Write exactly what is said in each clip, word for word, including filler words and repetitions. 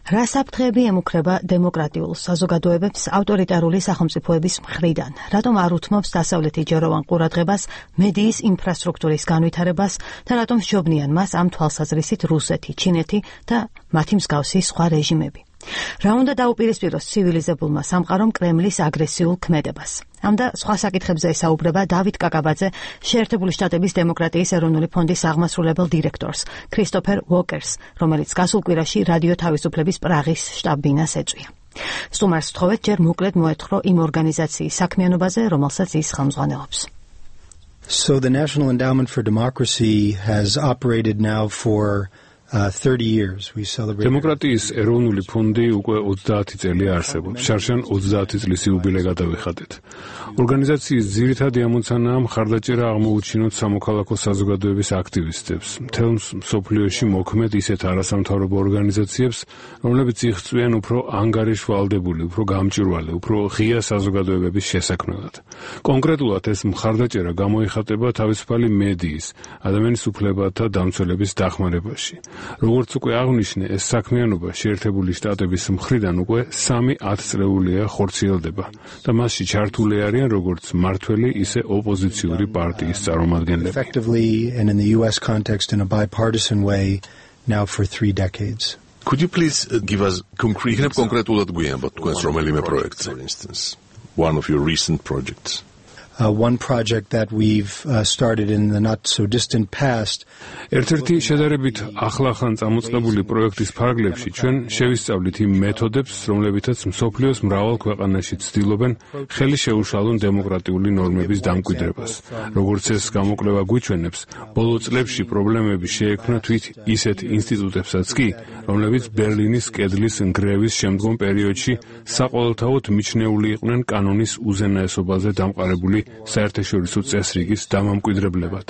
რა საფრთხეები ემუქრება დემოკრატიულ საზოგადოებებს ავტორიტარული სახელმწიფოების მხრიდან? რატომ არ უთმობს დასავლეთი ჯეროვან ყურადღებას მედიის ინფრასტრუქტურის განვითარებას და რატომ სჯობნიან მას ამ თვალსაზრისით რუსეთი, ჩინეთი და მათი მსგავსი სხვა რეჟიმები? რა უნდა დაუპირისპიროს ცივილიზებულმა სამყარომ კრემლის აგრესიულ ქმედებას? ამ და სხვა საკითხებზე ესაუბრება დავით კაკაბაძე, შეერთებული შტატების დემოკრატიის ეროვნული ფონდის აღმასრულებელ დირექტორს, ქრისტოფერ უოკერს, რომელიც გასულ კვირაში რადიო თავისუფლების პრაღის შტაბ-ბინას ეწვია. სტუმარს ვთხოვეთ ჯერ მოკლედ მოეთხოვო იმ ორგანიზაციის საქმიანობაზე, რომელსაც ის ხელმძღვანელობს. So the National Endowment for Democracy has operated now for Uh, thirty years. We celebrate. დემოკრატიის ეროვნული ფონდი უკვე ოცდაათი წელი არსებობს. შარშან ოცდაათი წლის იუბილე გადავიხადეთ. ორგანიზაციის ძირითადი ამოცანაა მხარდაჭერა აღმოუჩინოთ სამოქალაქო საზოგადოების აქტივისტებს, მთელ მსოფლიოში მოქმედ ისეთ არასამთავრობო ორგანიზაციებს, რომლებიც იღწვიან უფრო ანგარიშვალდებული, უფრო გამჭვირვალე, უფრო ღია საზოგადოებების შესაქმნელად. კონკრეტულად ეს მხარდაჭერა გამოიხატება თავისუფალი მედიის, ადამიანის უფლებათა დამცველების დახმარებაში. როგორც უკვე აღნიშნე, ეს საქმიანობა შეერთებული შტატების მხრიდან უკვე სამი ათწლეულია ხორციელდება და მასში ჩართული არიან როგორც მმართველი, ისე ოპოზიციური პარტიის წარმომადგენლები. Effectively and in the U S context in a bipartisan way now for three decades. Could you please give us concrete concretულად გვიანებთ თქვენს რომელიმე პროექტს, for instance, one of your recent projects? Uh, one project that we've uh, started in the not so distant past. ერთ-ერთი შედარებით ახლახან წამოწყებული პროექტის ფარგლებში ჩვენ შევისწავლით იმ მეთოდებს, რომლებითაც მსოფლიოს მრავალ ქვეყანაში ცდილობენ ხელი შეუშალონ დემოკრატიული ნორმების დამკვიდრებას. როგორც ეს გამოკვლევა გვიჩვენებს, ბოლო წლებში პრობლემები შეექმნა თვით ისეთ ინსტიტუტებსაც კი, რომლებიც ბერლინის კედლის ნგრევის შემდგომ პერიოდში საყოველთაოდ მიჩნეული იყვნენ კანონის უზენაესობაზე დამყარებული საერთაშორისო წესრიგის დამამკვიდრებლებად.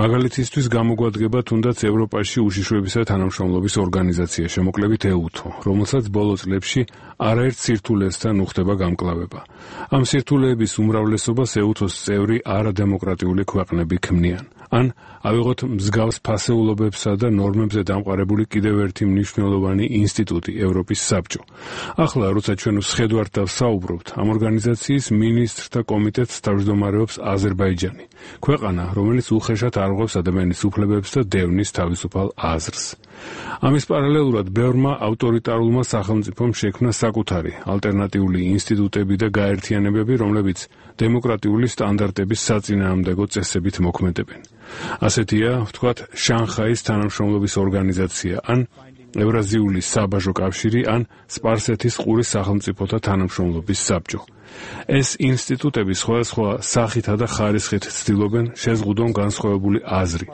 მაგალითისთვის გამოგვადგება თუნდაც ევროპაში უშიშროებისა და თანამშრომლობის ორგანიზაცია, შემოკლებით ეუთო, რომელსაც ბოლო წლებში არაერთ სირთულესთან უხდება გამკლავება. ამ სირთულეების უმრავლესობას ეუთოს წევრი არადემოკრატიული ქვეყნები ქმნიან. ან ავიღოთ მსგავს ფასეულობებსა და ნორმებზე დამყარებული კიდევ ერთი მნიშვნელოვანი ინსტიტუტი, ევროპის საბჭო. ახლა, როცა ჩვენ ვსხედვართ და ვსაუბრობთ, ამ ორგანიზაციის მინისტრთა კომიტეტს თავმჯდომარეობს აზერბაიჯანი, ქვეყანა, რომელიც უხეშად არღვევს ადამიანის უფლებებს და დევნის თავისუფალ აზრს. ამის პარალელურად ბევრმა ავტორიტარულმა სახელმწიფომ შექმნა საკუთარი ალტერნატიული ინსტიტუტები და გაერთიანებები, რომლებიც დემოკრატიული სტანდარტების საწინააღმდეგო წესებით მოქმედებენ. ასეთია, ვთქვათ, შანხაის თანამშრომლობის ორგანიზაცია, ან ევრაზიული საბაჟო კავშირი, ან სპარსეთის ყურის სახელმწიფოთა თანამშრომლობის საბჭო. ეს ინსტიტუტები სხვადასხვა სახითა და ხარისხით ცდილობენ შეზღუდონ განსხვავებული აზრი,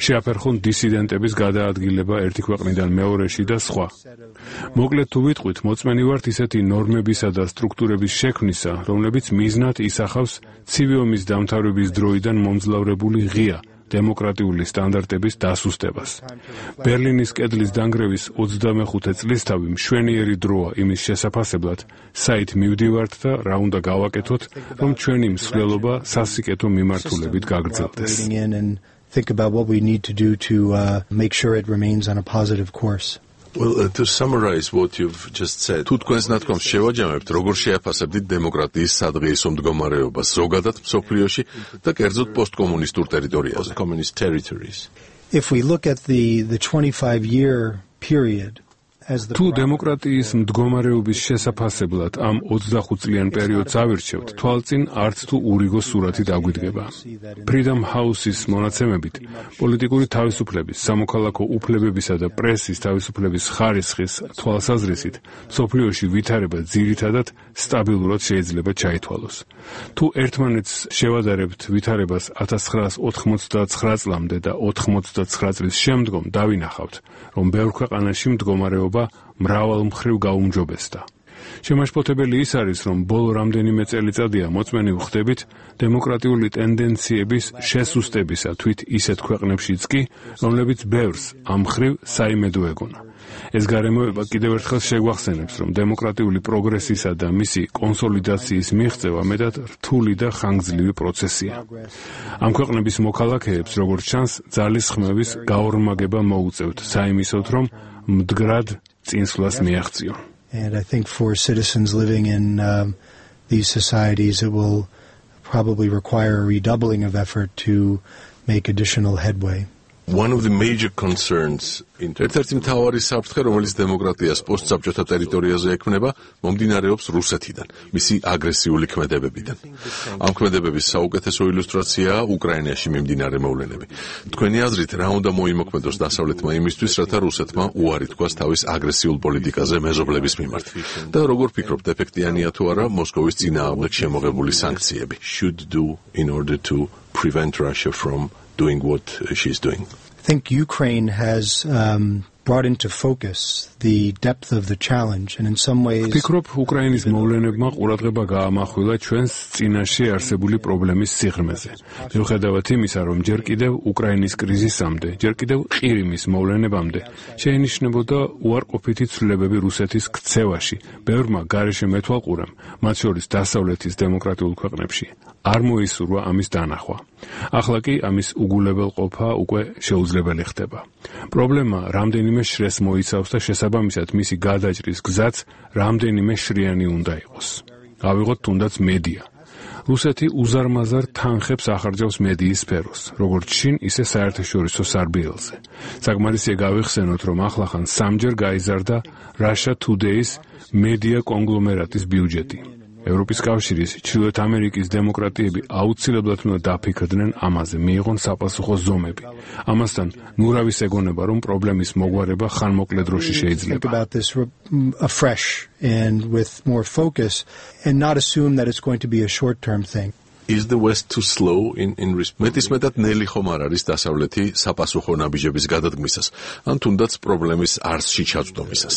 შეაფერხონ დისიდენტების გადაადგილება ერთი ქვეყნიდან მეორეში და სხვა. მოკლედ თუ ვიტყვით, მოწმენი ვართ ისეთი ნორმებისა და სტრუქტურების შექმნისა, რომლებიც მიზნად ისახავს ცივი ომის დამთავრების დროიდან მომძლავრებული ღია დემოკრატიული სტანდარტების დასუსტებას. ბერლინის კედლის დანგრევის ოცდამეხუთე წლისთავი მშვენიერი დროა იმის შესაფასებლად, საით მივდივართ და რა უნდა გავაკეთოთ, რომ ჩვენი მსვლელობა სასიკეთო მიმართულებით გაგრძელდეს. Think about what we need to do to uh, make sure it remains on a positive course. Well, uh, to summarize what you've just said, თუ თქვენს ნათქვამს შევაჯამებთ, როგორ შეაფასებდით დემოკრატიის სადღეისო მდგომარეობას ზოგადად მსოფლიოში და კერძოდ პოსტკომუნისტურ ტერიტორიაზე, communist territories. If we look at the the twenty-five year period თუ დემოკრატიის მდგომარეობის შესაფასებლად ამ ოცდახუთ წლიან პერიოდს ავირჩევთ, თვალწინ არც თუ ურიგო სურათი დაგვიდგება. Freedom House-ის მონაცემებით, პოლიტიკური თავისუფლების, სამოქალაქო უფლებებისა და პრესის თავისუფლების ხარისხის თვალსაზრისით, მსოფლიოში ვითარება ძირითადად სტაბილურად შეიძლება ჩაითვალოს. თუ ერთმანეთს შევადარებთ ვითარებას ათას ცხრაას ოთხმოცდაცხრა წლამდე და ოთხმოცდაცხრა წლის შემდგომ, დავინახავთ, რომ ბევრ ქვეყანაში მდგომარეობა მრავალმხრივ გაუმჯობესდა. შემაშფოთებელი ის არის, რომ ბოლო რამდენიმე წელიწადია მოწმენი ვხდებით დემოკრატიული ტენდენციების შესუსტებისა თვით ისეთ ქვეყნებშიც კი, რომლებიც ბევრს ამ მხრივ საიმედო ეგონა. ეს გარემოება კიდევ ერთხელ შეგვახსენებს, რომ დემოკრატიული პროგრესისა და მისი კონსოლიდაციის მიღწევა მეტად რთული და ხანგრძლივი პროცესია. ამ ქვეყნების მოქალაქეებს, როგორც ჩანს, ძალისხმევის გაორმაგება მოუწევთ საიმისოდ, რომ მდგრად წინსვლას მიაღწიონ. And I think for citizens living in um, these societies, it will probably require a redoubling of effort to make additional headway. One of the major concerns in ერთ-ერთი მთავარი საფრთხე, რომელიც დემოკრატიას პოსტსაბჭოთა ტერიტორიაზე ექმნება, მომდინარეობს რუსეთიდან, მისი აგრესიული ქმედებებიდან. ამ ქმედებების საუკეთესო ილუსტრაციაა უკრაინაში მიმდინარე მოვლენები. თქვენი აზრით, რა უნდა მოიმოქმედოს დასავლეთმა იმისთვის, რათა რუსეთმა უარი თქვას თავის აგრესიულ პოლიტიკაზე მეზობლების მიმართ? და როგორ ფიქრობთ, ეფექტიანია თუ არა მოსკოვის წინააღმდეგ შემოღებული სანქციები? Should do in order to prevent Russia from doing what she's doing? I think Ukraine has um, brought into focus the depth of the challenge, and in some ways... ვფიქრობ, უკრაინის მოვლენებმა ყურადღება გაამახვილა ჩვენს წინაშე არსებული პრობლემის სიღრმეზე. მიუხედავად იმისა, რომ ჯერ კიდევ უკრაინის კრიზისამდე, ჯერ კიდევ ყირიმის მოვლენებამდე შეინიშნებოდა უარყოფითი ცვლილებები რუსეთის ქცევაში, ბევრმა გარეშე მეთვალყურემ, მათ შორის დასავლეთის დემოკრატიულ ქვეყნებში, არ მოისურვა ამის დანახვა. ახლა კი ამის უგულებელყოფა უკვე შეუძლებელი ხდება. პრობლემა რამდენიმე შრეს მოიცავს და შესაბამისად მისი გადაჭრის გზაც რამდენიმე შრიანი უნდა იყოს. ავიღოთ თუნდაც მედია. რუსეთი უზარმაზარ თანხებს ახარჯავს მედიის სფეროს, როგორც შინ, ისე საერთაშორისო სარბიელზე. საკმარისია გავიხსენოთ, რომ ახლახან სამჯერ გაიზარდა Russia Today-ის მედია კონგლომერატის ბიუჯეტი. ევროპის კავშირის, ჩრდილოეთ ამერიკის დემოკრატიები აუცილებლად უნდა დაფიქრდნენ ამაზე, მიიღონ საპასუხო ზომები. ამასთან, ნურავის ეგონება, რომ პრობლემის მოგვარება ხანმოკლე დროში შეიძლება. Think about this afresh and with more focus and not assume that it's going to be a short-term thing. Is the West too slow in in მეტის მეტად ნელი ხომ არ არის დასავლეთი საპასუხო ნაბიჯების გადადგმისას, ან თუნდაც პრობლემის არსში ჩაწვდომისას?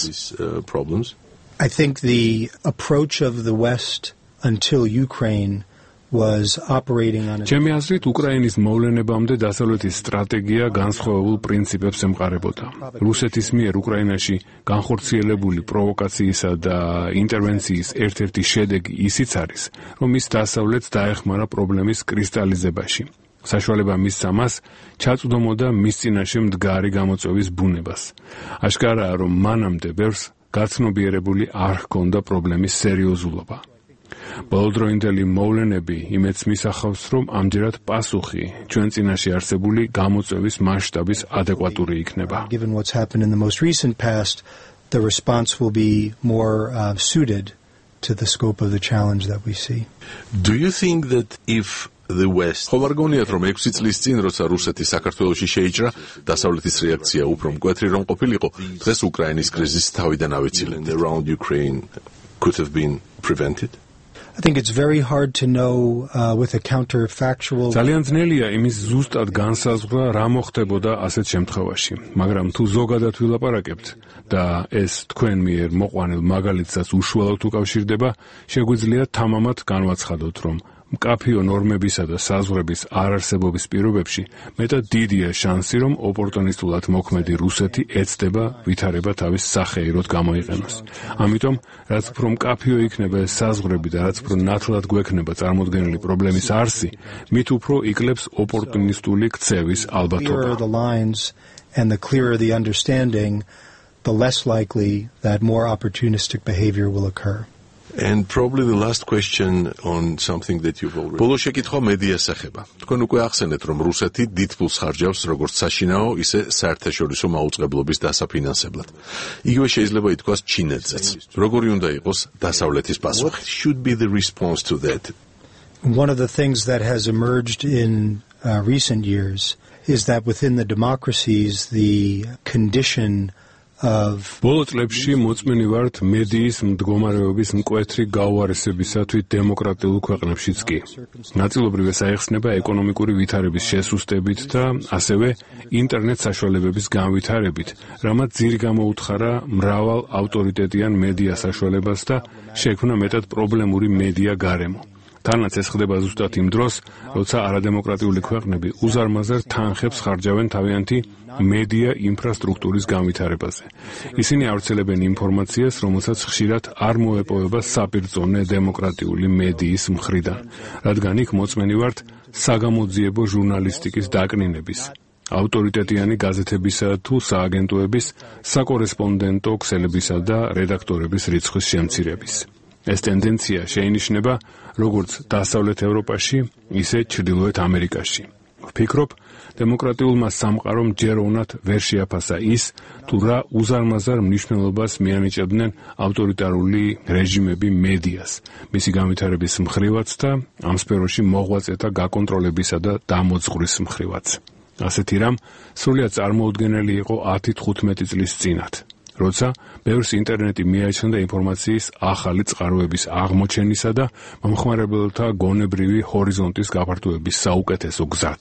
Problems? I think the approach of the West until Ukraine was operating on a... ჩემი აზრით, უკრაინის მოვლენებამდე დასავლეთის სტრატეგია განსხვავებულ პრინციპებს ემყარებოდა. რუსეთის მიერ უკრაინაში განხორციელებული პროვოკაციისა და ინტერვენციის ერთ-ერთი შედეგი ისიც არის, რომ ის დასავლეთს დაეხმარა პრობლემის კრისტალიზებაში. საშუალება მისცა მას ჩაწვდომოდა მის წინაშე მდგარი გამოწვევის ბუნებას. აშკარაა, რომ მანამდე ბევრს გაცნობიერებული არ ჰქონდა პრობლემის სერიოზულობა. ბოლოდროინდელი მოვლენები იმედს მისახავს, რომ ამჯერად პასუხი ჩვენ წინაშე არსებული გამოწვევის მასშტაბის ადეკვატური იქნება. Given what's happened in the most recent past, the response will be more uh, suited to the scope of the challenge that we see. Do you think that if the West ხომ არ გონიათ, რომ ექვსი წლის წინ, როცა რუსეთი საქართველოში შეიჭრა, დასავლეთის რეაქცია უფრო მკვეთრი რომ ყოფილიყო, დღეს უკრაინის კრიზისი თავიდან ავიცილებდა, around Ukraine could have been prevented? I think it's very hard to know uh, with a counterfactual. ძალიან ძნელია იმის ზუსტად განსაზღვრა, რა მოხდებოდა ასეთ შემთხვევაში, მაგრამ თუ ზოგადად ვილაპარაკებთ და ეს თქვენ მიერ მოყვანილ მაგალითსაც უშუალოდ უკავშირდება, შეგვიძლია თამამად განვაცხადოთ, რომ მკაფიო ნორმებისა და საზღვრების არარსებობის პირობებში მეტად დიდია შანსი, რომ ოპორტუნისტულად მოქმედი რუსეთი ეცდება ვითარება თავის სახეიროდ გამოიყენოს. ამიტომ, რაც უფრო მკაფიო იქნება ეს საზღვრები და რაც უფრო ნათლად გვექნება წარმოდგენილი პრობლემის არსი, მით უფრო იკლებს ოპორტუნისტული ქცევის ალბათობა. The lines and the clearer the understanding, the less likely that more opportunistic behavior will occur. And probably the last question on something that you've already... ბოლო შეკითხვა მედიას ეხება. თქვენ უკვე ახსენეთ, რომ რუსეთი დიდ ფულს ხარჯავს როგორც საშინაო, ისე საერთაშორისო მაუწყებლობის დასაფინანსებლად. იგივე შეიძლება ითქვას ჩინეთზეც. როგორი უნდა იყოს დასავლეთის პასუხი? What should be the response to that? One of the things that has emerged in uh, recent years is that within the democracies, the condition ბოლო წლებში მოწმენი ვართ მედიის მდგომარეობის მკვეთრი გაუარესებისათვის დემოკრატიულ ქვეყნებშიც კი. ნაწილობრივ ეს აიხსნება ეკონომიკური ვითარების შესუსტებით და ასევე ინტერნეტ საშუალებების განვითარებით, რამაც ძირი გამოუთხარა მრავალ ავტორიტეტიან მედია საშუალებას და შექმნა მეტად პრობლემური მედია გარემო. თანაც ეს ხდება ზუსტად იმ დროს, როცა არადემოკრატიული ქვეყნები უზარმაზარ თანხებს ხარჯავენ თავიანთი მედია ინფრასტრუქტურის განვითარებაზე. ისინი ავრცელებენ ინფორმაციას, რომელსაც ხშირად არ მოეპოვება საპირწონე დემოკრატიული მედიის მხრიდან, რადგან იქ მოწმენი ვართ საგამოძიებო ჟურნალისტიკის დაკნინების, ავტორიტეტიანი გაზეთებისა თუ სააგენტოების, საკორესპონდენტო ქსელებისა და რედაქტორების რიცხვის შემცირების. ეს ტენდენცია შეინიშნება როგორც დასავლეთ ევროპაში, ისე ჩრდილოეთ ამერიკაში. ვფიქრობ, დემოკრატიულმა სამყარომ ჯერ უნდათ ვერ შეაფასა ის, თუ რა უზარმაზარ მნიშვნელობას მიანიჭებდნენ ავტორიტარული რეჟიმები მედიას, მისი განვითარების მხრივაც და ამ სფეროში მოღვაწეთა გაკონტროლებისა და დამოძღვრის მხრივაც. ასეთი რამ სრულიად წარმოუდგენელი იყო ათი თხუთმეტი წლის წინათ, როცა ბევრს ინტერნეტი მიაჩნდა ინფორმაციის ახალი წყაროების აღმოჩენისა და მომხმარებელთა გონებრივი ჰორიზონტის გაფართოების საუკეთესო გზად.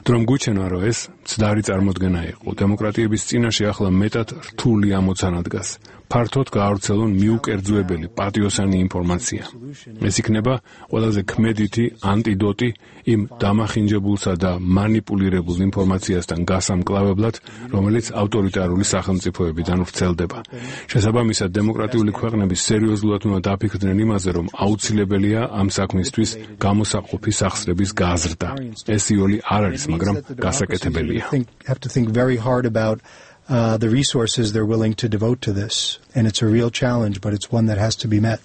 დრომ გუჩენია, რომ ეს მცდარი წარმოდგენა იყო. დემოკრატიების წინაშე ახლა მეტად რთული ამოცანა დგას. ფართოდ გაავრცელონ მიუკერძოებელი პატიოსანი ინფორმაცია. ეს იქნება ყველაზე ქმედითი ანტიდოტი იმ დამახინჯებულსა და манипуლირებულ ინფორმაციასთან გასამკლავებლად, რომელიც ავტორიტარული სახელმწიფოებიდან ვრცელდება. შესაბამისად, დემოკრატიული ქვეყნები სერიოზულად უნდა დაფიქრდნენ იმაზე, რომ აუცილებელია ამ საქმისთვის გამოსაყოფი სახსრების გაზრდა. ეს იოლი არ არის, მაგრამ გასაკეთებელია. Uh, the resources they're willing to devote to this. And it's a real challenge, but it's one that has to be met.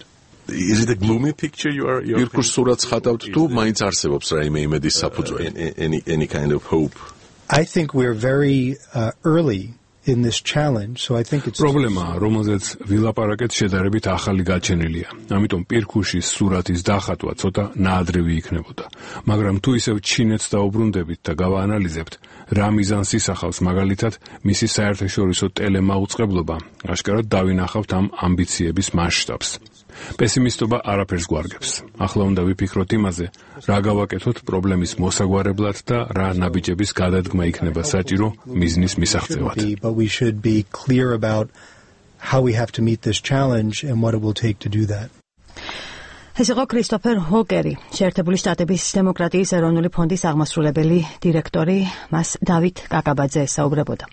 Is it a gloomy picture you are... Irkurs surats ხატავთ თუ მაინც არსებობს რაიმე იმედის საფუძველი? Any, any kind of hope? I think we're very uh, early in this challenge, so I think it's... პრობლემა, რომელზეც ვილაპარაკეთ, შედარებით ახალი გაჩენილია. ამიტომ პირქუშის სურათის დახატვა ცოტა ნაადრევი იქნებოდა. მაგრამ თუ ისევ ჩინეთს დაუბრუნდებით და გავაანალიზებთ, რა მიზანს ისახავს მაგალითად მისი საერთაშორისო ტელემაუწყებლობა, აშკარად დავინახავთ ამ ამბიციების მასშტაბს. პესიმისტობა არაფერს გვარგებს. ახლა უნდა ვიფიქროთ იმაზე, რა გავაკეთოთ პრობლემის მოსაგვარებლად და რა ნაბიჯების გადადგმა იქნება საჭირო მიზნის მისაღწევად. But we should be clear about how we have to meet this challenge and what it will take to do that. ეს იყო კრისტოფერ ჰოკერი, შეერთებული შტატების დემოკრატიის ეროვნული ფონდის აღმასრულებელი დირექტორი, მას დავით კაკაბაძე ესაუბრებოდა.